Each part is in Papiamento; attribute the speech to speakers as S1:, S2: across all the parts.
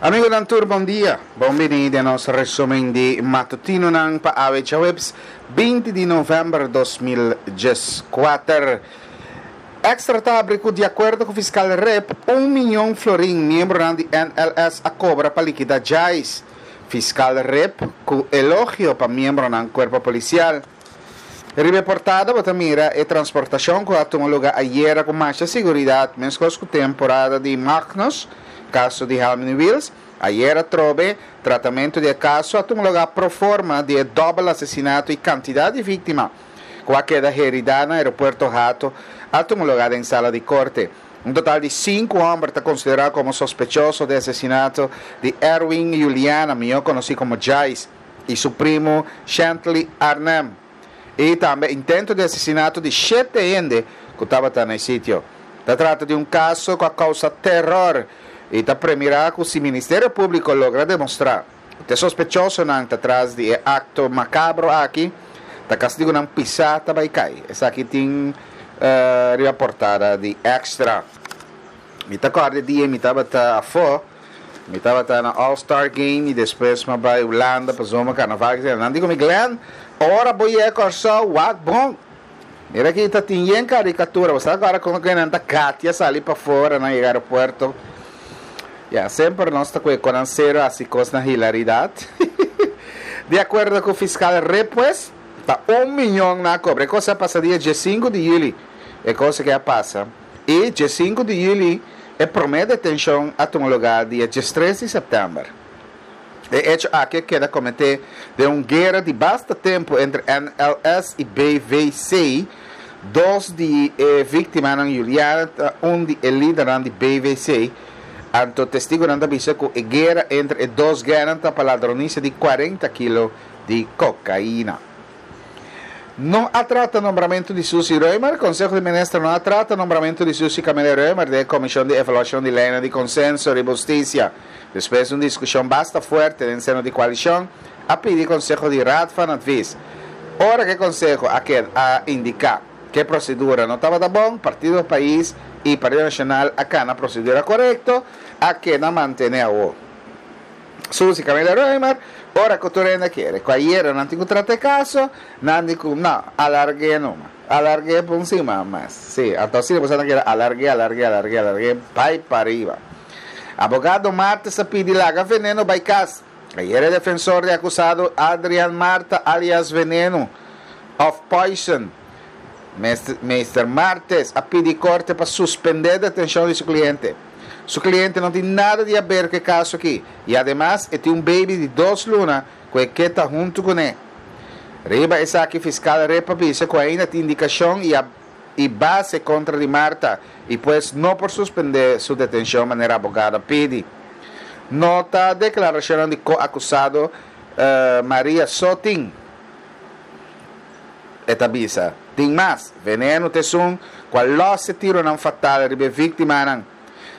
S1: Amigonan tur bon dia. Bon bini den nos resumen di matutinonan pa awe djaweps 20 di november 2014. Extra ta habri ku di akuerdo ku fiskal Rip, un miyon florin miembronan di NLS a kobra pa likida Jais. Fiskal Rip ku elogio pa miembronan kuerpo polisial. Riba e portada bo ta mira e transportashon ku a tuma luga ayera ku masha siguridat meskos ku temporada di Magnus, kaso di Helmini Wiels. Ayera atrobe tratamentu di e kaso a tuma luga pro forma di e dòbel asesinato i kantidat di víktima ku a keda heridá na aeropuerto Hato a tuma luga den sala di korte. Un total di sinku hòmber ta konsiderá komo sospechoso di asesinato di Erwin Juliana, mihó konosí komo Jais. i su primu Shantley Arnhem, i tambe intento di asesinato di shete hende ku tabata na e sitio. Ta trata di un kaso ku a kousa teror i ta premirá ku si Ministerio Públiko logra demostrá ku te sospechosonan ta tras di e akto makabro aki, ta kastigunan pisá ta bai kai. Esaki tin riba portada di Extra. Mi ta kòrda e dia mi tabata afó. Mi tabata na All Star Game y despues m'a bay Hulanda pa zomer carnaval etcetera. Nan di cu mi, Glenn, ora bo yega Corsou, wak bon. Mira aki ta tin yen caricatura. Bo sa cu ora con cu nan ta gatia sali pafora nan yega aeropuerto. Ya, semper nos ta cu e conan cero haci cos na hilaridad. Di acuerdo cu fiscal Rip pues, ta un miyon nan a cobra. E cos a pasa dia diescinco di juli. E cos aki a pasa. Y diescinco di juli. E promé detenshon a tuma lugá dia diestres di sèptèmber. E echo aki a keda kometé den un guera di basta tempu entre NLS i BVC. Dos di e víktimanan, Juliana ta un di e lidernan di BVC. Anto testigunan ta bisa ku e guera entre e dos gènan ta pa ladronisia di kuarenta kilo di kokaina. No a trata nombramentu di Susie Römer, Conseho di Minister no a trata nombramentu di Susie Camelia Römer den e Comision di Evaluacion di Leynan di Consenso riba Husticia. Despues di un discusion basta fuerte den seno di coalicion, a pidi Conseho di Raad van Advies. Ora cu e Conseho a keda a indica cu e procedura no tabata bon, Partido Pais y Partido Nacional a cana procedura corecto, a keda mantene awo. Susi Camila Römer, Ora ku tur hende kere ku ayera nan tin ku trata e kaso, nan di ku no, alarg'é numa. Alarg'é pa un siman mas. Sí, anto asina boso ta kere alarg'é, alarg'é, alarg'é, alarg'é, bai pariba. Abogado Martes a pidi laga Veneno bai kas. Ayera e defensor di akusado Adrian Marta alias Veneno òf Poison, Meester Martes, a pidi korte pa suspendé detenshon di su kliente. Su kliente no tin nada di haber ku e kaso aki i ademas e tin un baby di dos luna ku e ke ta huntu kuné. Riba esaki fiskal Rep a bisa ku ainda tin indikashon i i base kontra di Marta i pues no por suspendé su detenshon manera abogado a pidi. No ta deklarashonnan di ko-akusado Maria so tin. E ta bisa, Tin mas, veneno ta esun ku a lòs e tironan fatal riba e víktimanan.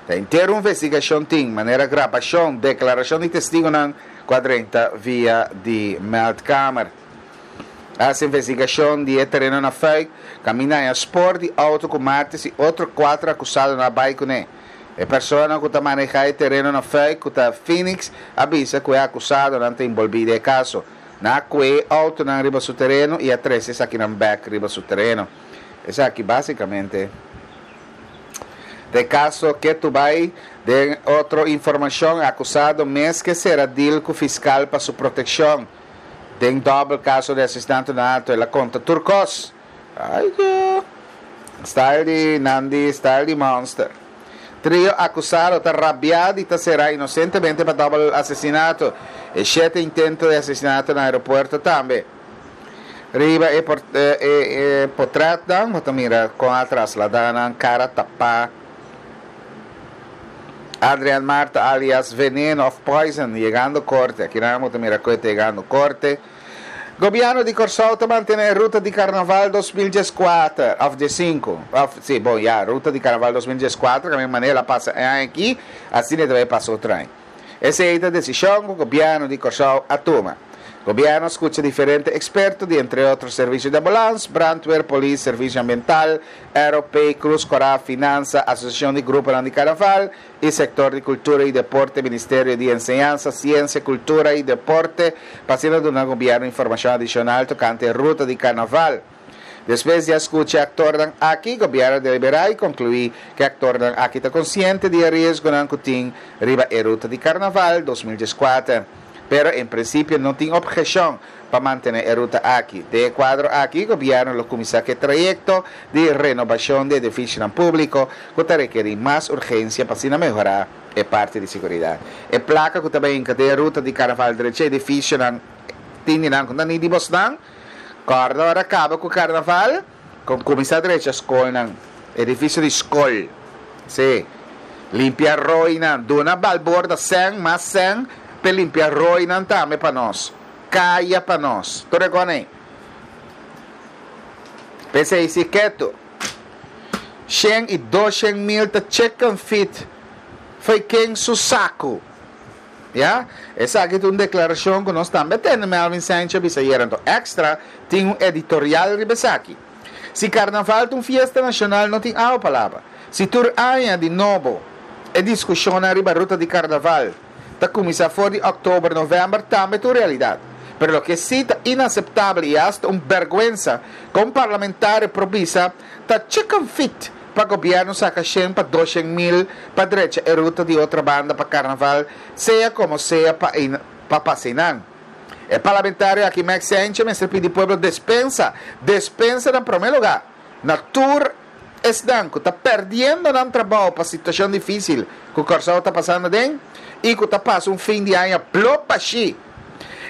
S1: Ta henter un investigashon tin, manera grabashon, deklarashon di testigunan ku a drenta via di meldkamer. A hasi investigashon di e tereno na Fuik, kaminda haña spor di outo ku Martis i otro kuater akusadonan a bai kuné. E persona ku ta manehá e tereno na Fuik, ku ta Phoenix, a bisa ku e akusadonan ta inbolbí den e kaso. Nan a kue e outonan riba su tereno i a trese esakinan bèk riba su tereno. Esaki básikamente ta e kaso ketu bai. Den otro informashon, e akusado mes ke sera dil ku fiskal pa su protekshon. Den dòbel kaso di asesinato na alto el a konta tur kos. Ai yo! Style di nan di style di monster. Trio akusado ta rabiá di ta será inosentemente pa dòbel asesinato. E shete intento di asesinato na aeropuerto tambe. Riba e e potrètnan bo ta mira kon a trasladá nan kara tapá. Adrian Marta alias Veneno òf Poison yegando korte. Akinan bo ta mira ku e ta yegando korte. Gobièrnu di Kòrsou ta mantené e ruta di Karnaval 2014, òf diesinku, òf sí, bon ya, ruta di Karnaval 2014, kaminda manera el a pasa e aña akí, asina e ta bai pasa otro aña. Esei ta desishon ku gobièrnu di Kòrsou a tuma. Gobièrnu a skucha diferente eksperto di entre otro Servisio di Ambulans, Brandweer, Polis, Servisio Ambiental, ROP, Krus Kòrá, Finansa, Asosiashon di Gruponan di Karnaval i Sektor di Kultura i Deporte, Ministerio di Enseñansa, Siensia, Kultura i Deporte pa asina duna gobièrnu informashon adishonal tokante e ruta di karnaval. Despues di a skucha e aktornan aki, gobièrnu a deliberá i konkluí ku e aktornan aki ta konsiente di e riesgonan ku tin riba e ruta di karnaval 2014. Pero en prinsipio no tin opheshon pa mantené e ruta aki. Den e kuadro aki, gobièrnu lo kuminsá ku e trayekto di renobashon di edifisionan públiko ku ta rekerí mas urgensia pa asina mehorá e parti di siguridat. E plaka ku ta bai hinka den e ruta di karnaval drecha edifisionan tin di nan ku ta ni di bosnan. Kòrda ora kaba ku karnaval, kon kuminsá drecha skolnan, edifisio di skol. Sí. Limpia roinan. Duna Balborda sèn, mas sèn, p'e limpia roinan tambe pa nos. Kaya pa nos. Tur e kòne ei. P'esei si ketu. Shen i doshen mil ta chicken feed fo'i ken su saku. Ya, esaki ta un deklarashon ku nos tambe a tende Melvin Sanchez a bisa ayera. Anto Extra tin un editorial riba esaki. Si karnaval ta un fiesta nashonal no tin awa pa laba. Si tur aña di nobo e diskushonnan riba ruta di karnaval ta kuminsá for di òktober, novèmber tambe ta un realidat. Pero loke sí ta inaseptabel i asta un bèrgwensa ku un parlamentario por bisa ta chicken feet pa gobierno saca shen pa doshen mil pa drecha e ruta di Otrabanda pa Carnaval, sea como sea pa pa pasa einan. E parlamentario aki Max Sanchez mester pidi pueblo despensa, despensa na prome lugar na tur esnan cu ta perdiendo nan trabao pa situacion dificil cu Corsou ta pasando aden y cu ta pasa un fin di aña blo bashi.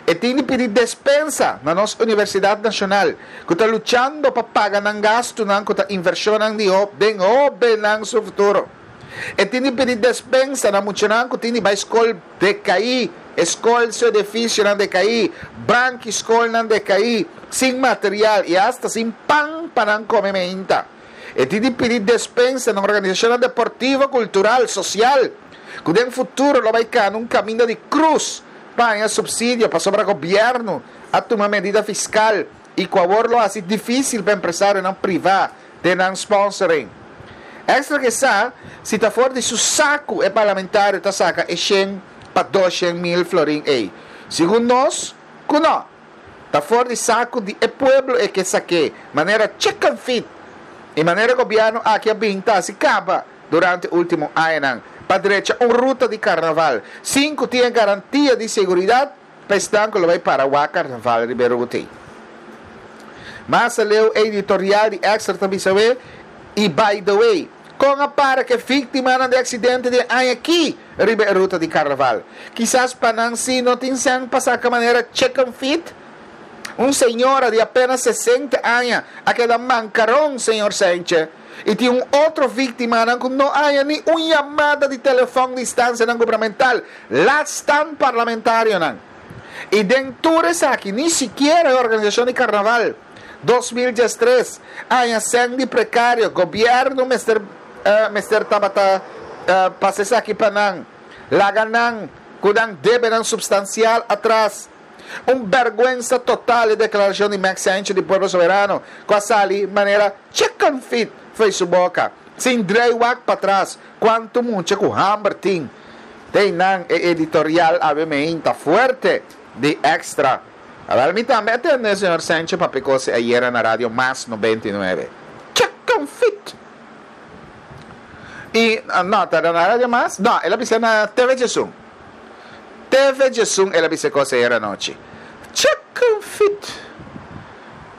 S1: E tin di pidi despensa na nos Universidad Nacional cu ta luchando pa paga nan gastunan cu ta inversionnan di den hobennan su futuro. E tin di pidi despensa na muchanan cu tin di bay scol decaí, e scol su edificionan decaí, banki scolnan decaí, sin material y hasta sin pan pa nan come meinta. E tin di pidi despensa na organisacionnan deportivo, cultural, social cu den futuro lo bay cana un caminda di cruz pa haña subsidio pasobra gobierno a tuma medida fiscal y cu awor lo haci dificil pa empresarionan priva den nan sponsoring. Extra ke sa si ta for di su sacu e parlamentario ta saca e shen pa doshen mil florin ey. Segun nos cu no. Ta for di sacu di e pueblo e ke saque, manera chicken feed. Y manera gobierno aki a bin ta haci caba. Durante ultimo añanan pa drecha un ruta di karnaval sin ku tin e garantia di seguridat pa esnan ku lo bai para wak karnaval riba e ruta ei. Mas aleu e editorial di Extra ta bisa we, I by the way, kon a para ku e víktimanan di aksidente di e aña aki riba e ruta di karnaval? Kisas pa nan si no tin sèn pa saka manera chicken feed? Un señora di apenas sesenta aña a keda mankaron, señor Saintje. I tin un otro víktimanan ku no haña ni un yamada di telefòn di instansianan gubernamental, laat staan parlamentarionan. I den tur esaki ni sikiera e organisashon di karnaval 2013 haña sèn di prekario. Gobièrnu mester mester tabata pasa esaki pa nan, laga nan ku nan debenan supstansial atras. Un bèrgwensa total e deklarashon di Max Sanchez di Pueblo Soberano ku a sali manera chicken feed fo'i su boka, sin drei wak patras kuantu mucha ku hamber tin. Den nan e editorial awe meinta fuerte di Extra. Awel mi tambe a tende señor Sanchez papia kos ayera na Radio Mas 99. Chicken feed! I no, ta na Radio Mas? No, el a bisa na TV Djesun. TV djesun el a bisa e kos ayera anochi. Chicken feet.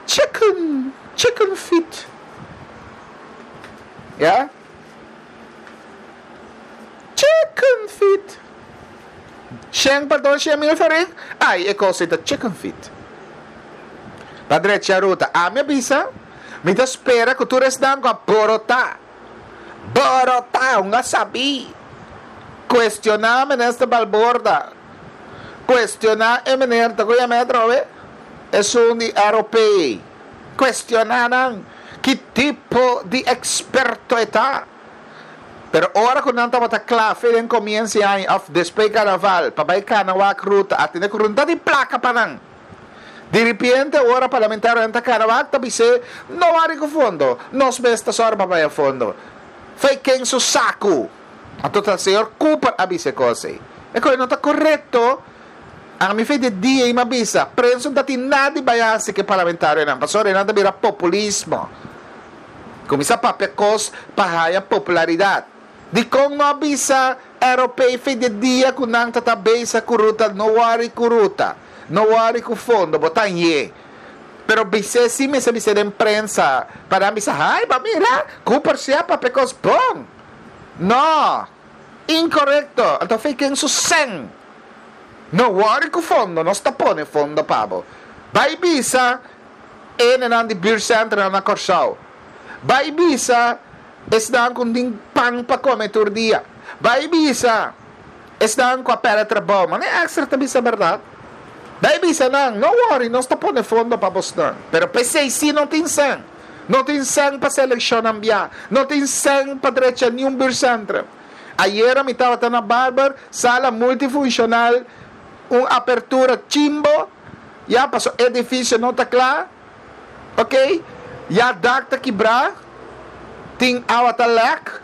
S1: Chicken, chicken feet. Ya? Chicken feet. Shen pa doshen mil florin? Ai, e kos ei ta chicken feet. Pa drecha ruta. Ami a bisa, mi ta spera ku tur esnan ku a borotá. Borotá, un a sabí. Cuestioná Minister Balborda. Cuestioná e meneer, ta cu yama e atrobe? Esun di ROP. Cuestioná nan. Ki tipo di experto e ta? Pero ora cu nan tabata cla fe den comienzo di aña of despues di carnaval pa bay cana wak ruta, a tene cu runta di placa pa nan. Diripiente ora parlamentarionan ta kana wak ta bis'é, No wari ku fondo, nos mes ta sòru pa bai a fondo. Fei ken su saku! Anto ta señor Cooper a bisa e kos ei. E kos ei no ta korekto. Ami fei di dia ei mi a bisa, prensa no ta tin nada di bai hasi ku e parlamentarionan, pasobra einan ta bira populismo. Kuminsá papia kos pa haya popularidat. Dikon no a bisa ROP fei di dia ku nan ta ta bisa ku ruta no wòri ku ruta, no wòri ku fondo, bo ta nye. Pero bis'é si mester bis'é den prensa pa nan bisa hay bo mira Cooper si a papia kos bon. No! Inkorekto! Anto fei ken su sèn. No wòri ku fondo, nos ta pone fondo pa bo. Bai bisa enenan di buurtcentranan na Kòrsou. Bai bisa Esnan ku tin pan pa kome tur dia. Bai bisa esnan ku a pèrdè trabou, ma ne extra ta bisa bèrdat. Bai bisa nan, no wòri, nos ta pone fondo pa bosnan. Pero p'esei sí no tin sèn. No tin sèn pa selekshonnan bia. No tin sèn pa drecha niun buurtcentrum. Ayera mi tabata na Barber, sala multifunshonal, un apertura chimbo, ya paso edifisio no ta kla. Ok, ya dak ta kibrá, tin awa ta lèk,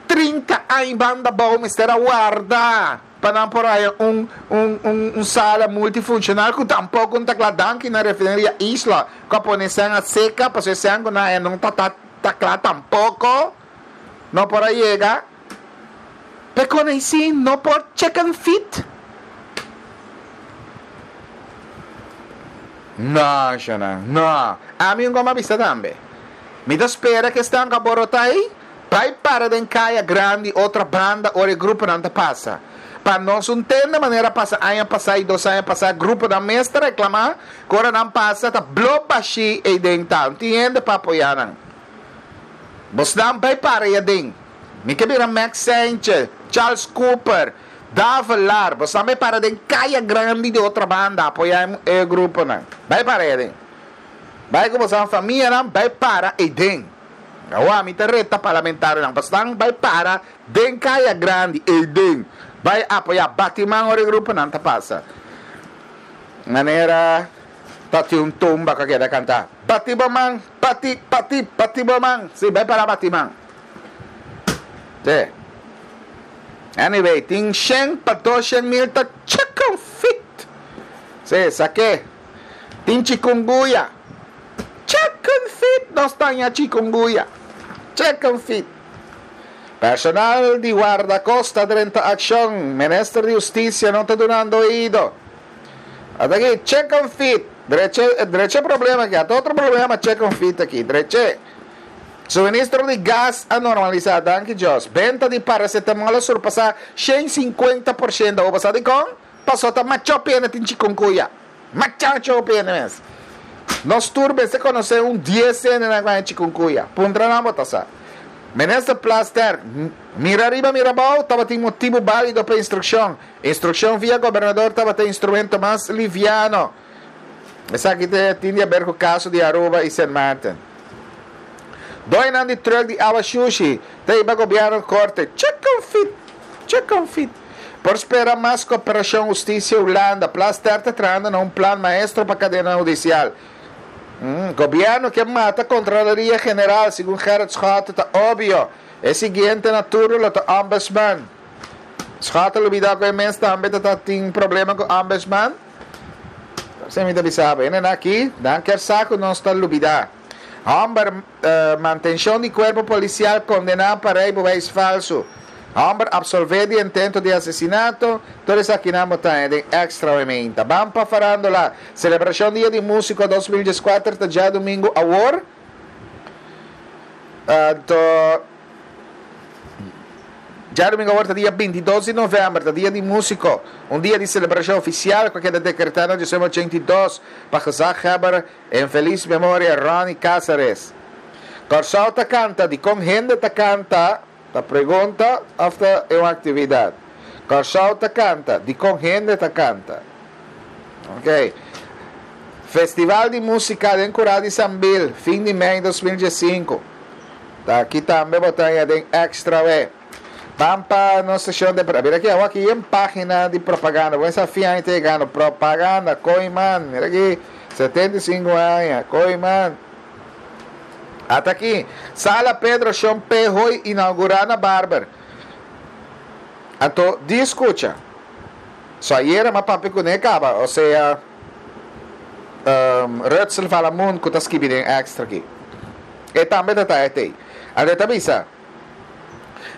S1: 30 aña banda bou mester a warda pa nan por haya un un un un sala multifunshonal ku tampoko no ta kla. Danki na Refineria Isla ku a pone esnan a seka pasobra esnan ku nan haya no ta ta kla tampoko, no por a yega. Pekon ei si no por chicken feet? No, shana, no. Ami un goma bisa tambe. Mi ta spera ku esnan ku a borotá ei bai para den kaya grandi otra banda ora e gruponan ta pasa. Pa nos un tende manera pasa aña pasá i dos aña pasá gruponan mes ta reklamá ku ora nan pasa ta blo bashí ei den ta. No tin hende pa apoyá nan. Bosnan bai para ei aden. Mi ke bira Max Sanchez, Charles Cooper, Davelaar. Bo sa bai para den Kaya Grandi di otra banda apoya e gruponan. Bai para ei aden. Bai ku boso famianan bai para ei den. Awa mi ta reta parlamentarionan pasobra bai para den Kaya Grandi ei den. Bai apoya bati man ora e gruponan ta pasa. Manera ta tin un tumba ku a keda kanta. Bati bo man, bati, bati, bati bo man. Si, bai para bati man. Sí. Anyway, tin shen pa 200 mil ta chicken feet. Sí, saké. Tin chikungunya. Chicken feet, nos ta haña chikungunya. Chicken feet. Personal di Guardacosta drenta akshon. Minister di Hustisia no ta dunando oido. Ata aki, chicken feet. Dreche, dreche problema aki. Ata otro problema chicken feet aki. Dreche. Suministro di gas a normalisá, danki Dios. Benta di paracetamol a surpasá 150%. Bo sa dikon? Pasobra ta machó pene tin chikungunya. Machá chó pene mes. Nos tur mester konosé un dies hendenan ku haña chikungunya. Puntra nan bo ta sa. Minister Plasterk, Mira riba mira abou, tabatin motibu bálido pa instrukshon. Instrukshon via gobernador tabata e instrumento mas liviano. Esaki tin di haber ku kaso di Aruba i Sint Maarten. Doinan di truck di awa shushi ta hiba gobierno korte. Chicken feet! Chicken feet! Por spera mas koperashon hustisia Hulanda. Plasterk ta trahando na un plan maestro pa kadena hudisial. Gobierno ke mata Kontraloria General, segun Gerrit Schotte ta obvio. E siguiente na turno lo ta Ombudsman. Schotte lubida ku e mes tambe ta tin problema ku Ombudsman. Esei mi ta bisa bo. Hendenan aki, nan kier sa ku nos ta lubidá. Hòmber, mantenshon di kuerpo polisial kondená pa reibewijs falsu. Hòmber apsolvé di intento di asesinato. Tur esakinan bo ta haña den Extra awe meinta. Ban pa farándula. Selebrashon Dia di Músiko 2014 ta djadumingu awor. Anto. Djadumingu awor ta dia 22 di novèmber, ta dia di músiko, un dia di selebrashon ofisial ku a keda dekretá na 1982 pa gezaghebber en felis memoria Ronnie Cassares. Kòrsou ta kanta, dikon hende ta kanta? Ta pregunta òf ta e un aktividat? Kòrsou ta kanta, dikon hende ta kanta? Ok. Festival di músika den Kurá di Sambil, fin di mei 2015. Ta aki tambe bo ta haña den Extra we. Ban pa nos seshon de Mira aki, awor aki yen pagina di propaganda. Bo sa fi aña ta yegando. Propaganda, Kooyman. Mira aki, 75 aña, Kooyman. Ata aki, Sala Pedro Shon P. Hoy inaugurá na Barber. Anto, di skucha. So ayera m'a papia kuné kaba, osea, um, Rutzel Valamun ku ta skibi den Extra aki. E tambe ta ta etei. Anto e ta bisa,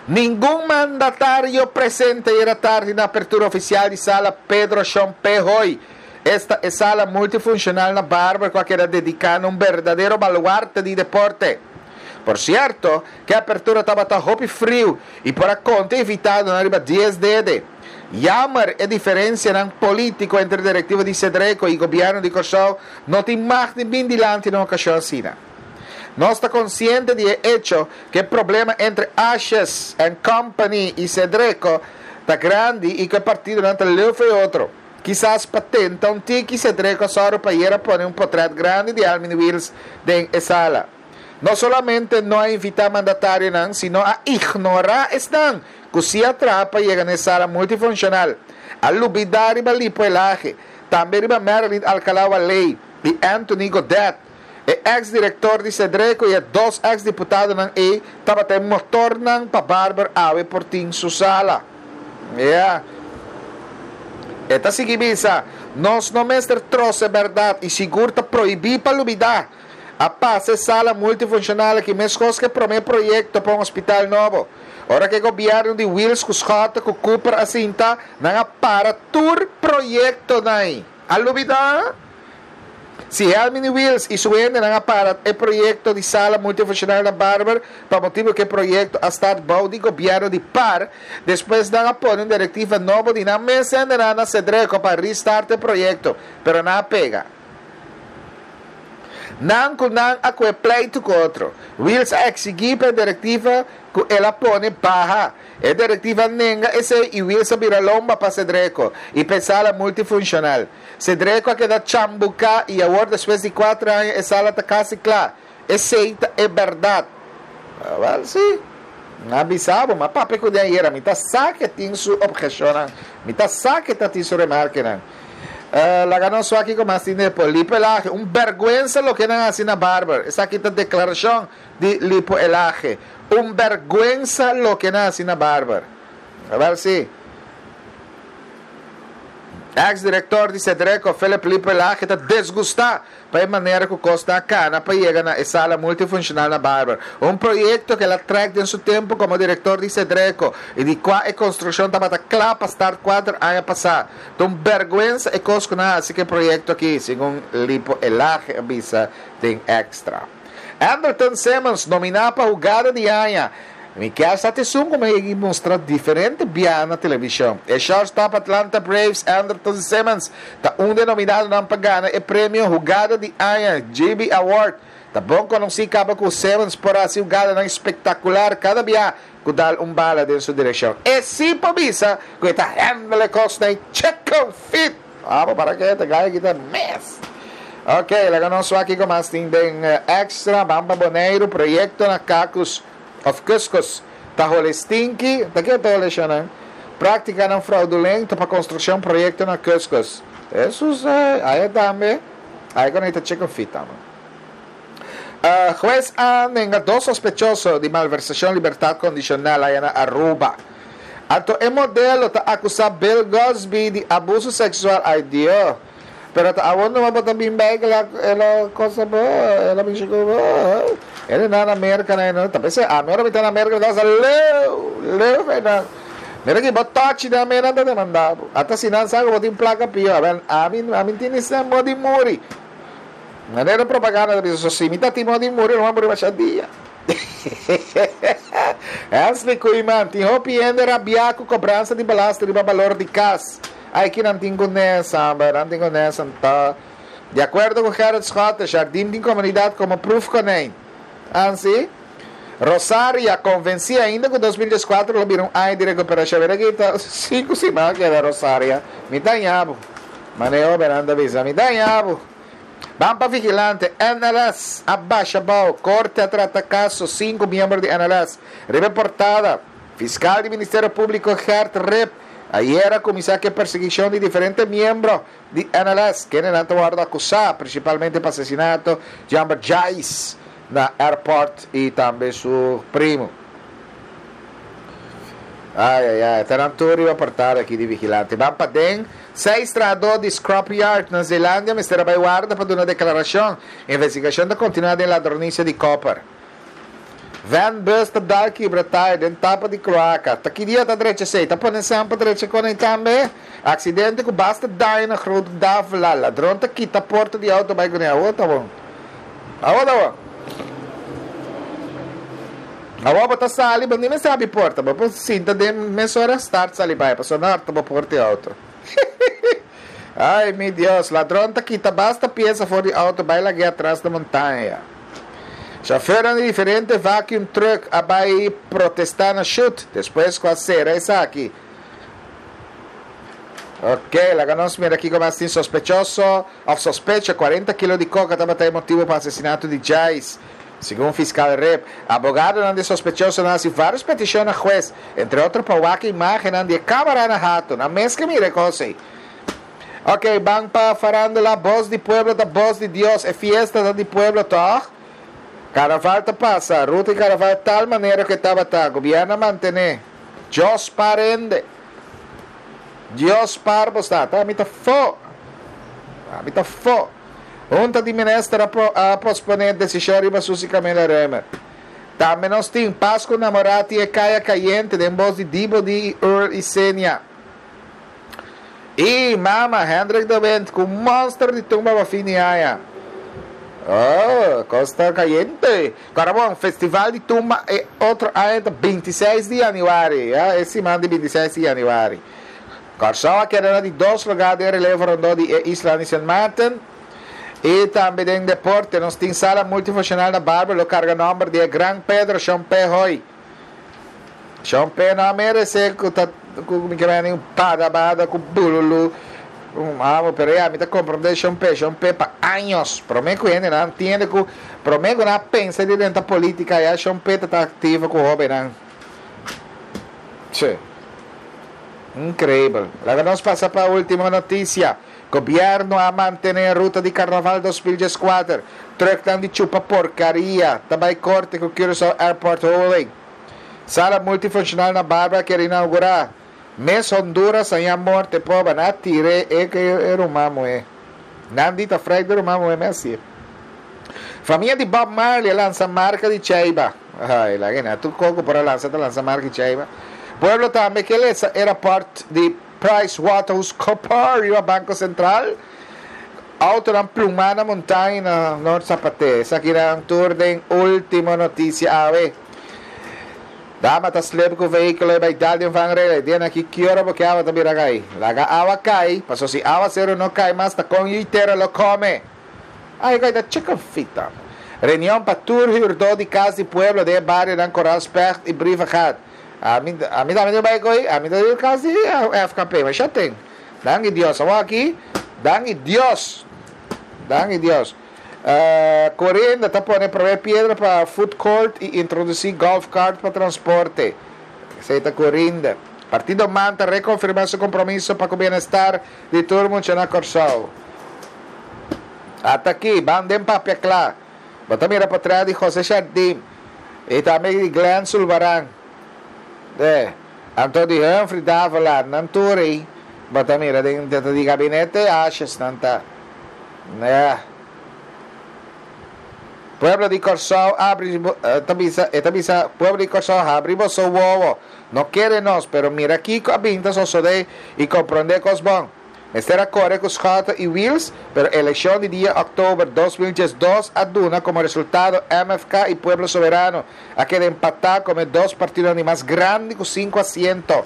S1: Ningun mandatario presente ayera tardi na apertura ofisial di Sala Pedro Shon P. Hoy. Esta e sala multifunshonal na Barber ku a keda dediká na un berdadero baluarte di deporte. Por sierto, ku e apertura tabata hopi friu i por a konta e invitadonan riba dies dede. Jammer e diferensianan polítiko entre direktiva di Sedreko i gobièrnu di Kòrsou no tin mag di bin dilanti na un okashon asina. Nos ta konsiente di e echo ku e problema entre Asjes and Company i Sedreko ta grandi i ku e partidonan ta leu for e otro. Kisas pa tenta un tiki Sedreko a sòru pa ayera pone un potrèt grandi di Almin Wiels den e sala. No solamente no a invitá mandatarionan, sino a ignorá esnan ku si a traha pa yega na e sala multifunshonal. A lubidá riba Lipo Elhage, tambe riba Marilyn Alcalá-Wallé i Anthony Godett. E eks direktor di Sedreko i e dos eks diputadonan ei tabata e motornan pa Barber awe por tin su sala. Ya. E ta sigui bisa, Nos no mester trose bèrdat i sigur ta prohibí pa lubidá. A pasa e sala multifunshonal aki meskos ku e promé proyekto pa un hospital nobo. Ora ku e gobièrnu di Wiels ku Schotte ku Cooper a sinta, nan a para tur proyektonan. A lubidá? Si Helmini Wiels i su hendenan a para e proyekto di sala multifunshonal na Barber pa motibu ku e proyekto a start bou di gobièrnu di par, despues nan a pone un direktiva nobo di nan mes hendenan na Sedreko pa restart e proyekto, pero nan a pega. Nan ku nan a kue pleitu ku otro. Wiels a eksigí pa e direktiva ku el a pone baha. E direktiva a nenga esei i Wiels a bira lomba pa Sedreko i pa e sala multifunshonal. Sedreko a keda chambuká i awor despues di kuater aña e sala ta kasi kla. Esei ta e bèrdat. Wèl, sí. Mi a bisa bo, mi a papia ku den ayera. Mi ta sa ku e tin su obheshonnan. Mi ta sa ku e ta tin su remarkenan. Laga nos wak kiko mas tin depo. Lipo Elhage, Un bèrgwensa loke nan a hasi na Barber. Esaki ta deklarashon di Lipo Elhage. Un bèrgwensa loke nan a hasi na Barber. Wèl, sí. Ex direktor di Sedreko, Philip Lipo Elhage ta desgustá pa e manera ku kos ta kana pa yega na e sala multifunshonal na Barber, un proyekto ku el a trèk den su tempu komo direktor di Sedreko i di kua e konstrukshon tabata kla pa start kuater aña pasá. Ta un bèrgwensa e kos ku nan a hasi ku e proyekto aki, segun Lipo Elhage a bisa den Extra. Andrelton Simmons nominá pa hugada di aña. Mi kier sa ta esun ku mi a yega i mustra diferente bia na televishon. E shortstop Atlanta Braves, Andrelton Simmons, ta un di e nominadonan pa gana e premio Hugada di Aña, GB Award. Ta bon konosí kaba ku Simmons por hasi hugadanan spektakular kada bia ku dal un bala den su direkshon. E sí por bisa ku e ta handle e kosnan chicken feet! Abo para ke ta gaya kita mes. Ok, laga nos wak kiko mas tin den Extra. Ban pa Boneiru, proyekto na Kakus. Of kuskus ta hole stinki, ta ke ta hole shonnan? Práktikanan fraudulento pa konstrukshon proyekto na kuskus. Hesus eh, aya tambe, aya ku ta chicken feet tambe. Hues a nenga dos sospechoso di malversashon libertat kondishonal aya na Aruba. Anto e modelo ta akusá Bill Cosby di abuso seksual, ay Dio. Pero ta awor numa bo ta bin bij el a el a cosa bo, el a mishi cu bo. El na na Merca na no ta p'esei ami ora mi ta na Merca mi ta sa leu, leu fe nan. Mira ki bo tochi nan me nan ta demanda bo. Ata si nan sa cu bo tin placa pio, abel ami ami tin ni sen bo di muri. Manera propaganda ta bisa so si mi ta tin bo di muri lo mi a muri masha dia. Hensley Koeiman, tin hopi hende rabia cu cobransa di belasting riba balor di cas. Ai ki nan tin ku nesa, amba nan tin ku nesa nta. Di akuerdo ku Gerrit Schotte, Jardim tin komunidat komo proefkonijn. Ansi, Rosaria konvensí ainda ku 2014 lo bira un aña di rekuperashon. Mira aki ta sinku siman a keda Rosaria. Mi ta haña bo. Mane hobennan ta bisa, mi ta haña bo. Ban pa vigilante, NLS a basha bou. Korte a trata kaso sinku miembro di NLS. Riba e portada. Fiskal di Ministerio Públiko Gert Rip ayera a kuminsá ku e persiguishon di diferente miembro di NLS, kendenan ta wòrdu akusá prinsipalmente pa asesinato di hòmber Jais na airport i tambe su primu. Ai ai ai, ta nan tur riba portada aki di Vigilante. Ban paden, seis trahadó di scrapyard na Zeelandia mester a bai warda pa duna deklarashon. Investigashon ta kontinuá den ladronisia di koper. Van bus ta dal kibra tire den tapa di kloaka. Ta ki dia ta drecha esei? Ta pone sèn pa drecha kon ei tambe? Aksidente ku basta daño na Groot Davila. Ladron ta kita porta di outo bai kuné. Awor ta bon. Awor ta bon. Awor bo ta sali, bo ni mester habri porta. Bo por sinta den mesora start sali bai pasobra no harta bo porta di outo. Ay mi Dios, ladron ta kita basta piesa for di outo bai lag'é atras na montaña. Chauffeurnan di diferente vacuum truck a bai protesta na Shut despues cu a cera esaki. Ok, laga nos mira kico mas tin sospechoso of sospecha 40 kilo di coca tabata e motibo pa asesinato di Jais. Segun fiscal Rip, abogadonan di e sospechosonan a haci varios peticion na hues, entre otro pa wak e imagennan di e camara na Hato. Nan mes ke mira e cos ey. Ok, ban pa farándula, Bos di pueblo ta bos di Dios, e fiesta ta di pueblo tòg? Carnaval ta pasa, ruta di carnaval tal manera ku e tabata, gobierno a mantené. Dios par hende. Dios par bo sta, ta mi ta fo. Ami ta fo. Hunta di minister a a posponé desishon riba Suzy Camila Römer. Tambe nos tin Pasku Namorati e Kaya Kayente den bos di Dibo Di i Earl Isenia. I mama Hendrik de Windt ku monster di tumba pa fin di aña. Oh, kos ta kayente. Kòrda bon, festival di tumba e otro aña ta 26 di yanüari, ya, e siman di 26 di yanüari. Kòrsou a keda na di dos lugá den relevo rondó di e isla di Sint Maarten. I tambe den deporte nos tin sala multifunshonal na Barber lo karga nòmber di e gran Pedro Shon Pe Hoy. Shon Pe no a merece cu ta cu mi ke meni un bada bada cu bululu un amo pero ya mi ta comprende Shon Pe Shon Pe pa años prome cu hende nan entiende cu prome cu nan a pensa di drenta politica ya Shon Pe ta ta activo cu hobennan che increibel laga nos pasa pa ultimo noticia. Gobierno a mantene ruta di Carnaval 2014. Trucknan di chupa porcaria ta bay corte cu Curaçao Airport Holding. Sala multifuncional na Barbara kier inaugura. Mes Honduras haña morte poba nan a tire e e ruman muhe. Nan di ta frek di ruman muhe mes si. Famia di Bob Marley a lansa marca di cheiba. Ay laga na tur coco por a lansa ta lansa marca di cheiba. Pueblo tambe ke lesa e rapport di PricewaterhouseCoopers riba Banco Central. Autonan plumá na montaña na Noord Sapaté. Esakinan tur den Ultimo Noticia awe. Dama ta slip ku vehíkulo i bai dal den vangrail. E dianan aki ki ora bo ke awa ta bira kai? Laga awa kai, paso si awaseru no kai mas ta kon yu tera lo kome. Ai kai ta chicken feet ta. Reunion pa tur hürdó di Kas di Pueblo den e barionan Koraal Specht i Brievengat. Ami ami tambe tin bai koe, ami ta di kas di FKP, ma sha ten. Danki Dios, awor aki, danki Dios, danki Dios. Corinda ta pone prome piedra pa food court i introdusí golf cart pa transporte. Esei ta Corinda. Partido man ta rekonfirmá su kompromiso pa ku bienestar di tur mucha na Kòrsou. Ata aki, ban den papia kla. Bo ta mira potrèt di José Jardim i tambe di Glenn Sulvaran. E, anto di Humphrey Davelaar, nan tur ei bo ta mira den ta di gabinete Asjes nan ta. Ya. Pueblo di Kòrsou abri ta bisa e ta bisa pueblo di Kòrsou habri boso wowo, no kere nos, pero mira kiko a bin ta sosodé i komprondé kos bon. Mester a kore ku Schotte i Wiels, pero elekshon di dia òktober 2012 a duna komo resultado MFK i Pueblo Soberano a keda empatá komo e dos partidonan di mas grandi ku sinku asiento.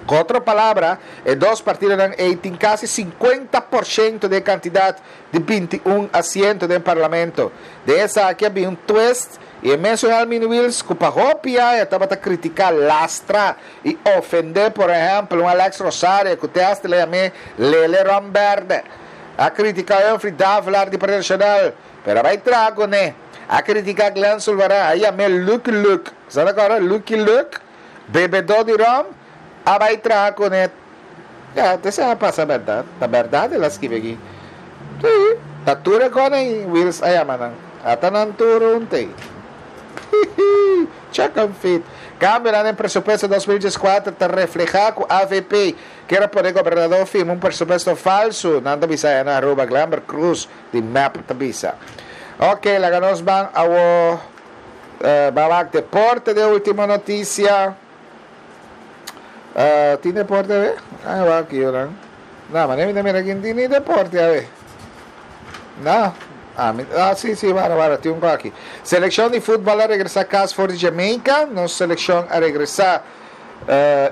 S1: Ku otro palabra, e dos partidonan ei tin kasi 50% di e kantidat di 21 asiento den parlamento. Den esaki a bin un twist i e mesun Helmin Wiels ku pa hopi aña tabata kritiká lastra I ofendé, por ehèmpel, un Alex Rosario ku te hasta le yam'é Lele Ron Bèrdè. A kritiká Humphrey Davelaar di Partido Nashonal, pero a bai traha kuné. A kritiká Glenn Sulvaran, a yam'é Lucky Luke. Sa ta kòrda Lucky Luke? Bebedó di ròm, a bai traha kuné. Ya, te esei a pasa bèrdat. Ta bèrdat el a skibi aki. Sí, ta tur e kòne ei Wiels a yama nan. Ata nan tur huntu ei. Hihi, check and fit. Kambionan den presupuesto 2014 ta reflehá ku avp kier a pone gobernador firma un presupuesto falsu, nan ta bisa aya na Aruba, Glenbert Croes di mep ta bisa. Ok, laga nos ban awo ban wak deporte den ultimo noticia. Tin deporte awe? Ay wak aki nan. No, mane mi ta mira aki no tin ni deporte awe. No. Ah, mi, ah, sí, sí, wara, wara, tin un ko aki. Seleccion di futbol a regresa cas for di Jamaica. Nos seleccion a regresa.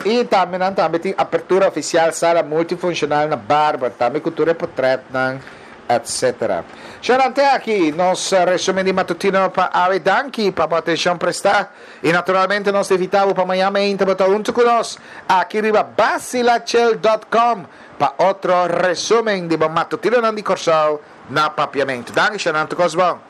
S1: Y tambe nan tambe tin apertura oficial sala multifuncional na Barber. Tambe cu tur e potretnan, etc. Shornan te aki nos resumen di matutino pa awe. Danki pa bo atencion presta. Y naturalmente nos ta invita bo pa mañana mainta bo ta hunto cu nos aki riba bacilachel dot com pa otro resumen di bo matutinonan di Corsou na Papiamento. Danki Shornan, tur cos bon.